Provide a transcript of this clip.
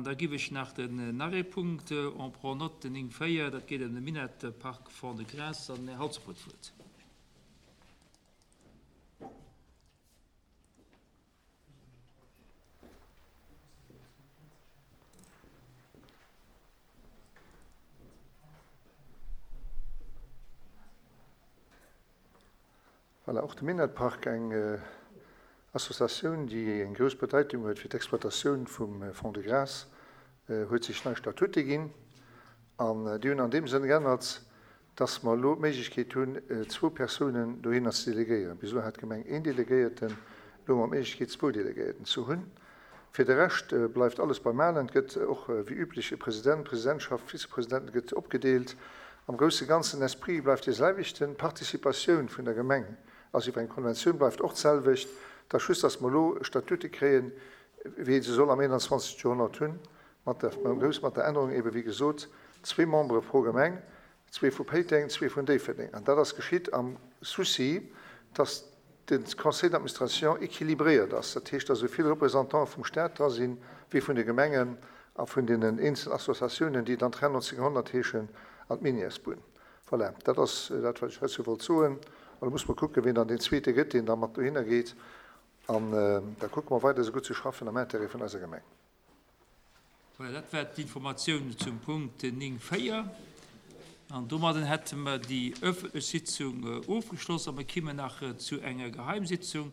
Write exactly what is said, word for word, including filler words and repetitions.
An da giff ech nach den nach ee Punkt, on prend note, den néng véier, dat geet ëm de Minett-Park Fond-de-Gras. An den Här Halsdorf huet d'Wuert. Voilà, och de Minett-Park, eng Associatioun, déi eng grouss Bedeitung huet fir d'Exploitatioun vum Fond-de-Gras, huet sech nei Statute ginn. An déi hunn an deem Sënn geännert, dass mer elo d'Méiglechkeet hunn, zwou Persounen dohinner ze delegéieren. Bis elo hat d'Gemeng een Delegéierten, elo hu mer d'Méiglechkeet, zwou Delegéierten ze hunn. Fir de Rescht bleift alles beim Alen. Et gëtt och wéi üblech e President, Presidentschaft, Vizepresidenten gëtt opgedeelt. Am grousse Ganzen, den Esprit bleift dee selwechten, d'Participatioun vun der Gemeng, also iwwer eng Konventioun, bleift och d'selwecht. Et ass just, datt mer elo Statute kréien, wéi ee se soll am einundzwanzegste Joerhonnert hunn, mat der, mat der Ännerung ebe wéi gesot, zwee Membere pro Gemeng, zwee vu Péiteng, zwee vun Déifferdeng. An dat ass geschitt am Souci, datt de Conseil d'administration équilibréiert ass, dat heescht, datt esou vill Représentante vum Stat dra sinn, wéi vun de Gemengen a vun deenen eenzelnen Associatiounen, déi dann d'Ren neunzehnhundert heeschen an d'Minièresbunn. Voilà, dat ass dat, wat ech heizou wollt soen. An da muss mer kucken, wien dann deen Zweete gëtt, deen da mat dohinner geet. An da kucke mer weider, esou gutt ze schaffen am Intérêt vun eiser Gemeng. Voilà, dat war d'Informatioun zum Punkt néng véier. An domadden hätte mer déi öffentlech Sitzung ofgeschloss a mer kimmen nach zu enger Geheimsitzung.